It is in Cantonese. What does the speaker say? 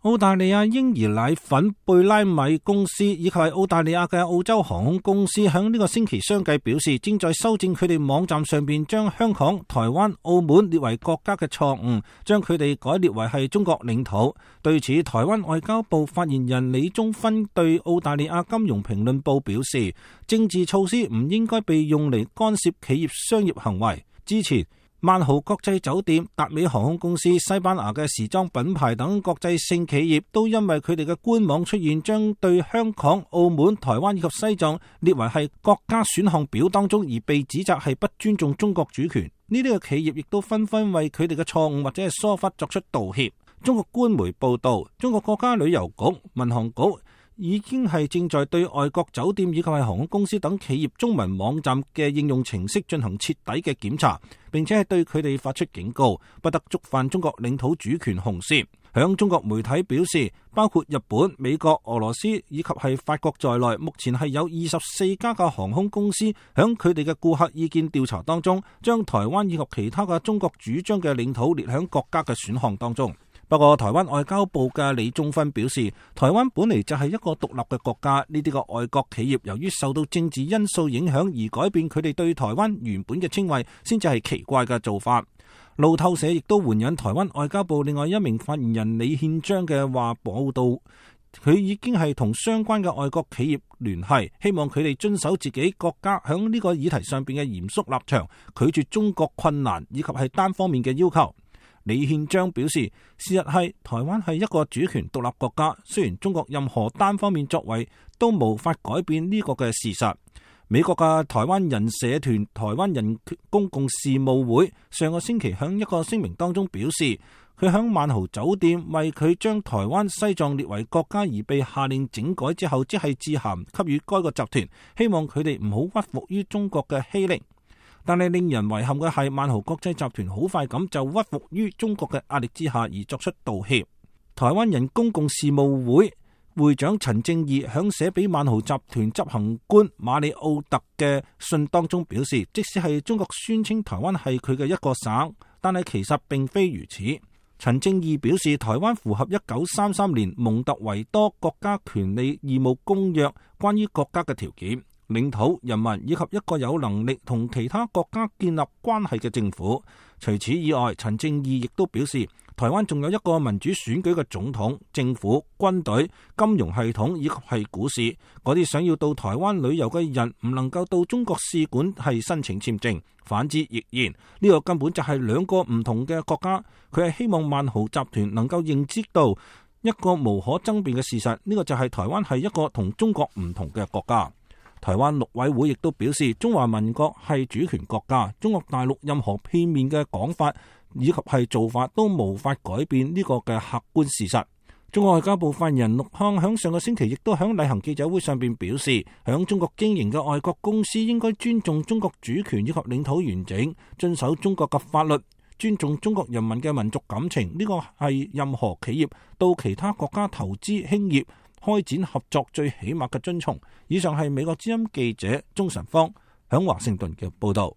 澳大利亞嬰兒奶粉貝拉米公司以及係澳大利亞嘅澳洲航空公司響呢個星期相繼表示，正在修正佢哋網站上邊將香港、台灣、澳門列為國家嘅錯誤，將佢哋改列為係中國領土。對此，台灣外交部發言人李宗勳對澳大利亞金融評論報表示，政治措施唔應該被用嚟干涉企業商業行為。之前萬豪國際酒店、達美航空公司、西班牙嘅時裝品牌等國際性企業都因為佢哋嘅官網出現將對香港、澳門、台灣以及西藏列為係國家選項表當中，而被指責係不尊重中國主權。呢啲嘅企業亦都紛紛為佢哋嘅錯誤或者係疏忽作出道歉。中國官媒報道，中國國家旅遊局、民航局已經係正在對外國酒店以及係航空公司等企業中文網站嘅應用程式進行徹底嘅檢查，並且係對佢哋發出警告，不得觸犯中國領土主權紅線。響中國媒體表示，包括日本、美國、俄羅斯以及係法國在內，目前係有24家嘅航空公司響佢哋嘅顧客意見調查當中，將台灣以及其他嘅中國主張嘅領土列響國家嘅選項當中。不過，台灣外交部嘅李宗勳表示，台灣本嚟就係一個獨立嘅國家，呢啲個外國企業由於受到政治因素影響而改變佢哋對台灣原本嘅稱謂，先至係奇怪嘅做法。路透社亦都援引台灣外交部另外一名發言人李憲章嘅話報道，佢已經係同相關嘅外國企業聯繫，希望佢哋遵守自己國家響呢個議題上邊嘅嚴肅立場，拒絕中國困難以及係單方面嘅要求。李憲章表示，事實係台灣係一個主權獨立國家，雖然中國任何單方面作為都無法改變呢個嘅事實。美國嘅台灣人社團台灣人公共事務會上個星期響一個聲明當中表示，佢響萬豪酒店為佢將台灣西藏列為國家而被下令整改之後，即係致函給予該個集團，希望佢哋唔好屈服於中國嘅欺凌。但係令人遺憾嘅係，萬豪國際集團好快咁就屈服於中國嘅壓力之下而作出道歉。台灣人公共事務會會長陳正義響寫俾萬豪集團執行官馬里奧特嘅信當中表示，即使係中國宣稱台灣係佢嘅一個省，但係其實並非如此。陳正義表示，台灣符合1933年蒙特維多國家權利義務公約關於國家嘅條件。領土、人民以及一個有能力同其他國家建立關係嘅政府。除此以外，陳正義亦都表示，台灣仲有一個民主選舉嘅總統、政府、軍隊、金融系統以及係股市。嗰啲想要到台灣旅遊嘅人唔能夠到中國使館係申請簽證，反之亦然。呢個根本就係兩個唔同嘅國家。佢係希望萬豪集團能夠認知到一個無可爭辯嘅事實，呢個就係台灣係一個同中國唔同嘅國家。台灣陸委會亦都表示，中華民國係主權國家，中國大陸任何片面嘅講法以及係做法都無法改變呢個嘅客觀事實。中國外交部發言人陸康響上個星期亦都響例行記者會上邊表示，響中國經營嘅外國公司應該尊重中國主權以及領土完整，遵守中國嘅法律，尊重中國人民嘅民族感情。呢個係任何企業到其他國家投資興業開展合作最起碼嘅遵從。以上係美國之音記者鍾晨芳響華盛頓嘅報道。